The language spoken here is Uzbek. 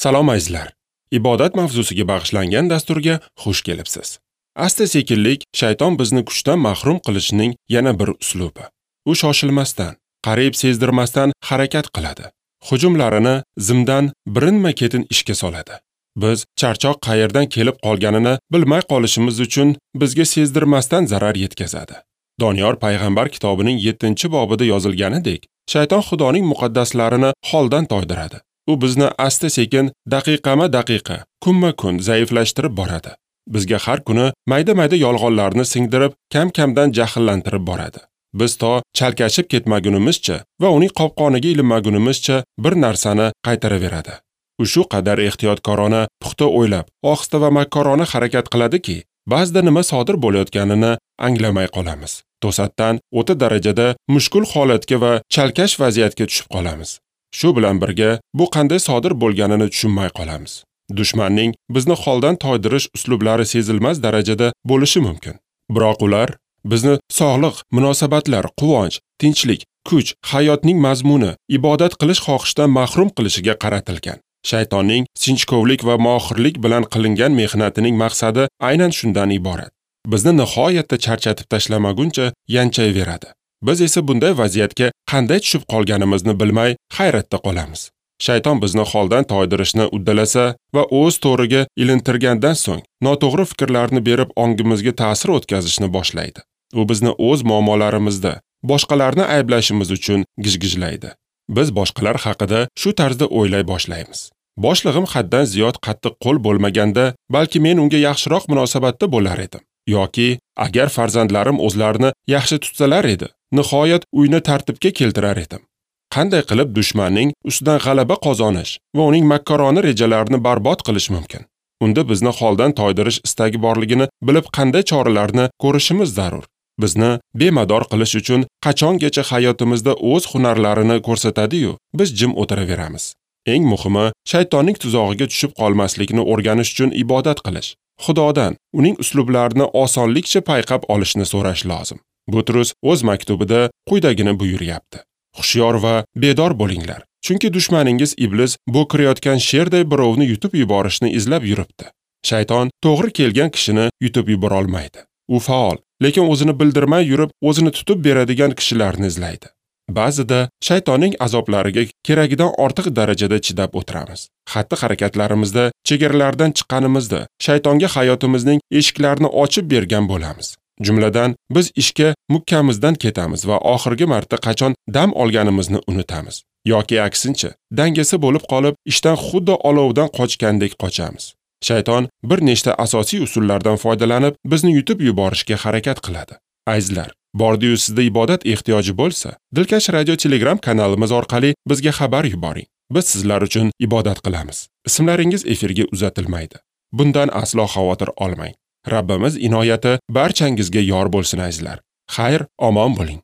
Salom azizlar. Ibodat mavzusiga bag'ishlangan dasturga xush kelibsiz. Asta-sekinlik shayton bizni kuchdan mahrum qilishining yana bir uslubi. U shoshilmasdan, qariyb sezdirmasdan harakat qiladi. Hujumlarini zimdan birinma-ketin ishga soladi. Biz charchoq qayerdan kelib qolganini bilmay qolishimiz uchun bizga sezdirmasdan zarar yetkazadi. Doniyor payg'ambar kitobining 7-bobida yozilganidek, shayton Xudoning muqaddaslarini holdan toydiradi. U bizni asta-sekin, daqiqama-daqiqa, kunma-kun zaiflashtirib boradi. Bizga har kuni mayda-mayda yolg'onlarni singdirib, kam-kamdan jahllantirib boradi. Biz to chalkashib ketmagunimizcha va uning qopqoniga ilinmagunimizcha bir narsani qaytaraveradi. U shu qadar ehtiyotkorona, puxta o'ylab, ohista va makkorona harakat qiladiki, ba'zida nima sodir bo'layotganini anglamay qolamiz. To'satdan o'ta darajada mushkul holatga va chalkash vaziyatga tushib qolamiz. Shu bilan birga bu qanday sodir bo'lganini tushunmay qolamiz. Dushmanning bizni holdan toydirish uslublari sezilmas darajada bo'lishi mumkin. Biroq ular bizni sog'liq, munosabatlar, quvonch, tinchlik, kuch, hayotning mazmuni, ibodat qilish xohishidan mahrum qilishiga qaratilgan. Shaytonning sinchkovlik va mohirlik bilan qilingan mehnatining maqsadi aynan shundan iborat. Bizni nihoyatda charchatib tashlamaguncha yanchayveradi. Biz esa bunday vaziyatga qanday tushib qolganimizni bilmay hayratda qolamiz. Shayton bizni holdan toydirishni uddalasa va o'z to'riga ilintirgandan so'ng noto'g'ri fikrlarni berib ongimizga ta'sir o'tkazishni boshlaydi. U bizni o'z muammolarimizda boshqalarni ayblashimiz uchun gijgijlaydi. Biz boshqalar haqida shu tarzda o'ylay boshlaymiz. Boshlig'im haddan ziyod qattiq qo'l bo'lmaganda, balki men unga yaxshiroq munosabatda bo'lar edim. Yoki agar farzandlarim o'zlarini yaxshi tutsalar edi, nihoyat uyni tartibga keltirar edim. Qanday qilib dushmanning ustidan g'alaba qozonish va uning makkorona rejalarini barbod qilish mumkin? Unda bizni holdan toydirish istagi borligini bilib qanday choralarni ko'rishimiz zarur? Bizni bemador qilish uchun qachongacha hayotimizda o'z hunarlarini ko'rsatadi-yu, biz jim o'tiraveramiz. Eng muhimi, shaytonning tuzog'iga tushib qolmaslikni o'rganish uchun ibodat qilish. Xudodan uning uslublarini osonlikcha payqab olishni so'rash lozim. Butrus o'z maktubida quyidagini buyuryapti. Hushyor va bedor bo'linglar, chunki dushmaningiz iblis bo'kirayotgan sherday birovni yutib yuborishni izlab yuribdi. Shayton to'g'ri kelgan kishini yutib yubora olmaydi. U faol, lekin o'zini bildirmay yurib, o'zini tutib beradigan kishilarni izlaydi. Ba'zida shaytonning azoblariga keragidan ortiq darajada chidab o'tiramiz. Xatti-harakatlarimizda chegaralardan chiqqanimizda shaytonga hayotimizning eshiklarini ochib bergan bo'lamiz. Jumladan, biz ishga mukkamizdan ketamiz va oxirgi marta qachon dam olganimizni unutamiz. Yoki aksincha, dangasa bo'lib qolib, ishdan xuddi olovdan qochgandek qochamiz. Shayton bir nechta asosiy usullardan foydalanib, bizni yutib yuborishga harakat qiladi. Azizlar, bordi-yu sizda ibodat ehtiyoji bo'lsa, Dilkash Radio Telegram kanalimiz orqali bizga xabar yuboring. Biz sizlar uchun ibodat qilamiz. Ismlaringiz efirga uzatilmaydi. Bundan aslo xavotir olmang. Rabbimiz inoyati barchangizga yor bo'lsin azizlar. Xayr, omon bo'ling.